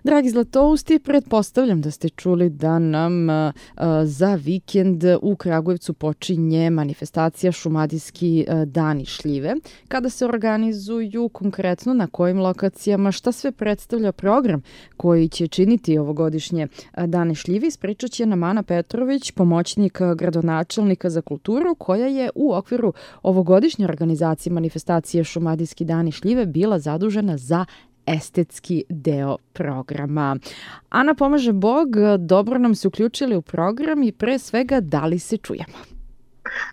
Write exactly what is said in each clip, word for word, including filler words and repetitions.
Dragi Zlatousti, pretpostavljam da ste čuli da nam uh, za vikend u Kragujevcu počinje manifestacija Šumadijski uh, dani šljive. Kada se organizuju, konkretno na kojim lokacijama, šta sve predstavlja program koji će činiti ovogodišnje uh, dane šljive, ispričat će nam Ana Petrović, pomoćnik gradonačelnika za kulturu, koja je u okviru ovogodišnje organizacije manifestacije Šumadijski dani šljive bila zadužena za estetski deo programa. Ana, pomaže Bog, dobro nam se uključili u program i pre svega da li se čujemo?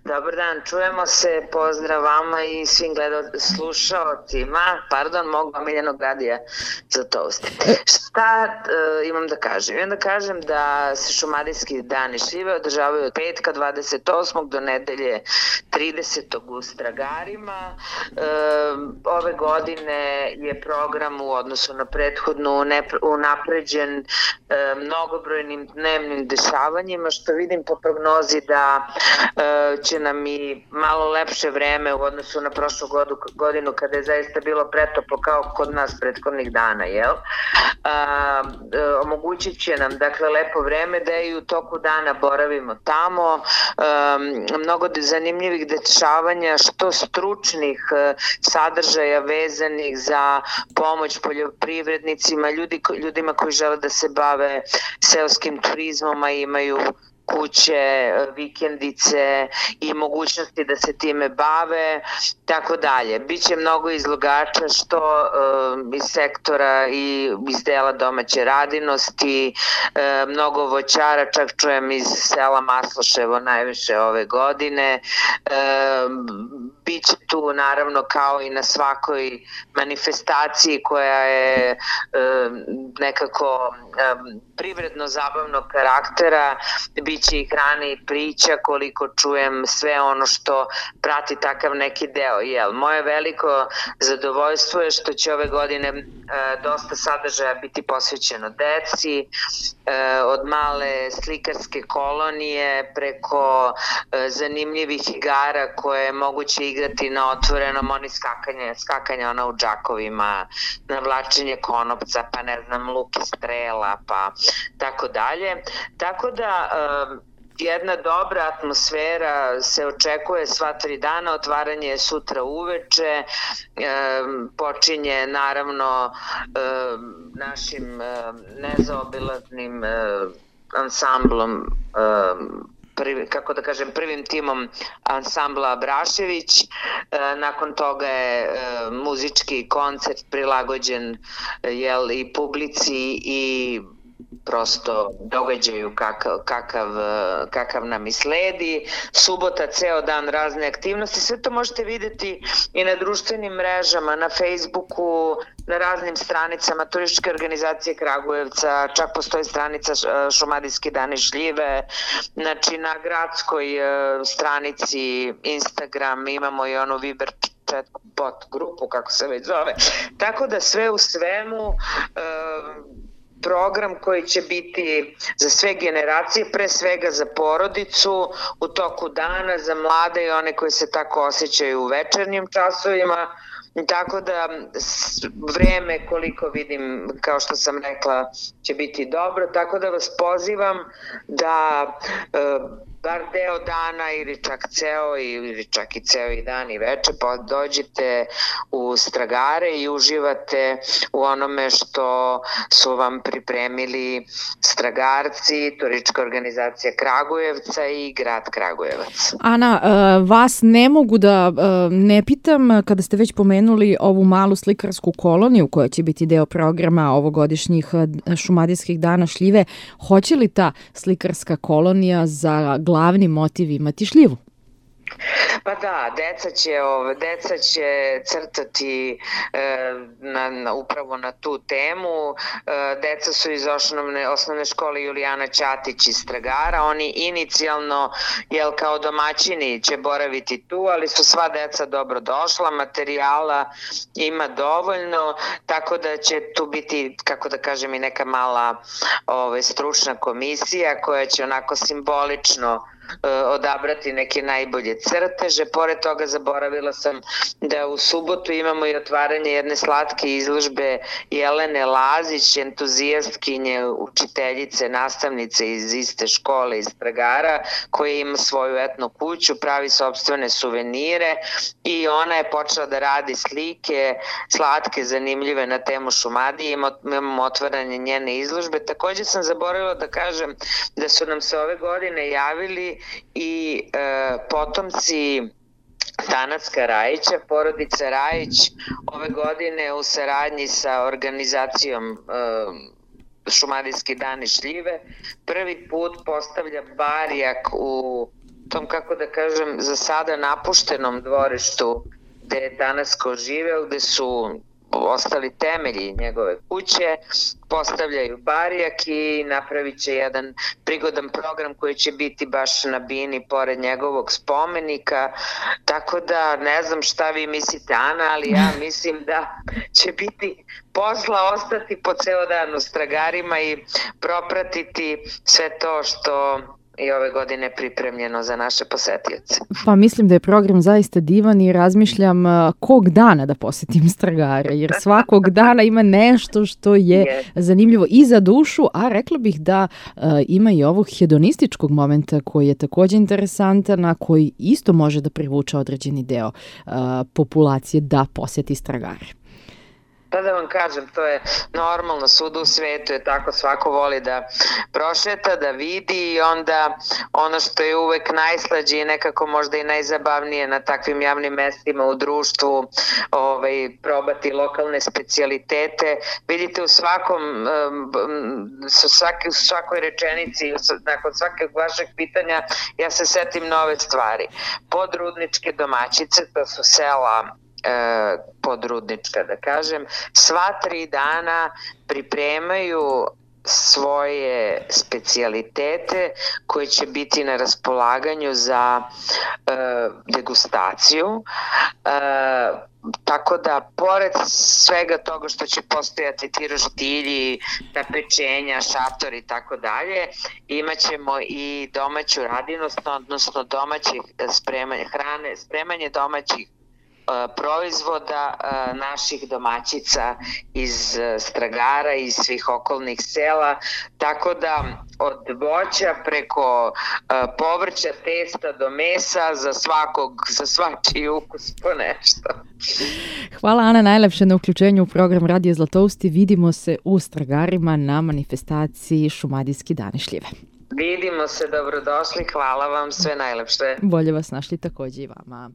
Dobar dan, čujemo se, pozdrav vama i svim gledalcima, slušaocima, pardon, mog omiljenog radija Zlatousti. Šta uh, imam da kažem? Imam da kažem da se Šumadijski dani šljive održavaju od petka dvadeset osmog do nedelje tridesetog u Stragarima. Uh, ove godine je program u odnosu na prethodnu unapređen uh, mnogobrojnim dnevnim dešavanjima, što vidim po prognozi da uh, će nam i malo lepše vreme u odnosu na prošlu godinu kada je zaista bilo pretoplo kao kod nas prethodnih dana, jel? A, omogućit će nam dakle lepo vreme da i u toku dana boravimo tamo, a, mnogo zanimljivih dešavanja, što stručnih sadržaja vezanih za pomoć poljoprivrednicima, ljudi, ljudima koji žele da se bave seoskim turizmom, a imaju kuće, vikendice i mogućnosti da se time bave, tako dalje. Biće mnogo izlogača što uh, iz sektora i iz dela domaće radinosti, uh, mnogo voćara, čak čujem iz sela Masloševo najviše ove godine. Uh, biće tu naravno kao i na svakoj manifestaciji koja je uh, nekako um, privredno zabavnog karaktera, biće i hrane i priča, koliko čujem sve ono što prati takav neki deo. Jel, moje veliko zadovoljstvo je što će ove godine e, dosta sadržaja biti posvećeno deci, e, od male slikarske kolonije preko e, zanimljivih igara koje je moguće igrati na otvorenom, oni skakanje, skakanja ona u džakovima, navlačenje konopca, pa ne znam, luk i strela, pa tako dalje. Tako da e, jedna dobra atmosfera se očekuje sva tri dana, otvaranje je sutra uveče, e, počinje naravno e, našim e, nezaobilaznim e, ansamblom, e, Prvi, kako da kažem, prvim timom ansambla Abrašević. E, nakon toga je e, muzički koncert prilagođen jel, i publici i prosto događaju kakav, kakav, kakav nam i sledi. Subota, ceo dan razne aktivnosti, sve to možete vidjeti i na društvenim mrežama, na Facebooku, na raznim stranicama turističke organizacije Kragujevca, čak postoji stranica Šumadijski dani šljive, znači na gradskoj stranici Instagram imamo i onu Viber bot grupu, kako se već zove. Tako da sve u svemu program koji će biti za sve generacije, pre svega za porodicu u toku dana, za mlade i one koji se tako osjećaju u večernjim časovima. Tako da vreme, koliko vidim, kao što sam rekla, će biti dobro, tako da vas pozivam da e, bar deo dana ili čak ceo ili čak i ceo i dan i veče pa dođite u Stragare i uživate u onome što su vam pripremili Stragarci, turistička organizacija Kragujevca i grad Kragujevac. Ana, vas ne mogu da ne pitam, kada ste već pomenuli ovu malu slikarsku koloniju koja će biti deo programa ovogodišnjih Šumadijskih dana šljive, hoće li ta slikarska kolonija za glavni motiv imati šljivu? Pa da, deca će, ove, deca će crtati e, na, na, upravo na tu temu. E, deca su iz osnovne, osnovne škole Julijana Ćatić iz Stragara. Oni inicijalno, jel, kao domaćini će boraviti tu, ali su sva deca dobro došla, materijala ima dovoljno, tako da će tu biti, kako da kažem, i neka mala ove, stručna komisija koja će onako simbolično odabrati neke najbolje crteže. Pored toga zaboravila sam da u subotu imamo i otvaranje jedne slatke izložbe Jelene Lazić, entuzijastkinje, učiteljice, nastavnice iz iste škole iz Stragara, koja ima svoju etno kuću, pravi sopstvene suvenire i ona je počela da radi slike, slatke, zanimljive na temu Šumadije. Imamo otvaranje njene izložbe. Takođe sam zaboravila da kažem da su nam se ove godine javili i e, potomci Tanacka Rajića, porodica Rajić, ove godine u saradnji sa organizacijom e, Šumadijski dani šljive prvi put postavlja barjak u tom, kako da kažem, za sada napuštenom dvorištu gde je Tanacko živeo, gde su ostali temelji njegove kuće, postavljaju barjak i napravit će jedan prigodan program koji će biti baš na bini pored njegovog spomenika, tako da ne znam šta vi mislite, Ana, ali ja mislim da će biti posla ostati po ceo dan u Stragarima i propratiti sve to što i ove godine pripremljeno za naše posetioce. Pa mislim da je program zaista divan i razmišljam kog dana da posetim Stragare, jer svakog dana ima nešto što je yes. zanimljivo i za dušu, a rekla bih da uh, ima i ovog hedonističkog momenta koji je takođe interesantan, a koji isto može da privuče određeni deo uh, populacije da poseti Stragare. Pa da vam kažem, to je normalno, svuda u svetu je tako, svako voli da prošeta, da vidi i onda ono što je uvek najslađe i nekako možda i najzabavnije na takvim javnim mestima u društvu, ovaj, probati lokalne specijalitete. Vidite u svakom, u svaki, u svakoj rečenici, nakon svakog vašeg pitanja, ja se setim nove stvari. Podrudničke domaćice, to su sela Podrudnička, da kažem, sva tri dana pripremaju svoje specijalitete koje će biti na raspolaganju za e, degustaciju. E, tako da, pored svega toga što će postojati ti roštilji, ta pečenja, šatori i tako dalje, imat ćemo i domaću radinost, odnosno domaćih spremanje hrane, spremanje domaćih proizvoda naših domaćica iz Stragara i svih okolnih sela, tako da od voća preko povrća, testa do mesa za svakog, za svačiji ukus po nešto. Hvala Ana najlepše na uključenju u program Radio Zlatousti. Vidimo se u Stragarima na manifestaciji Šumadijski dani šljive. Vidimo se, dobrodošli, hvala vam, sve najlepše. Bolje vas našli takođe i vama.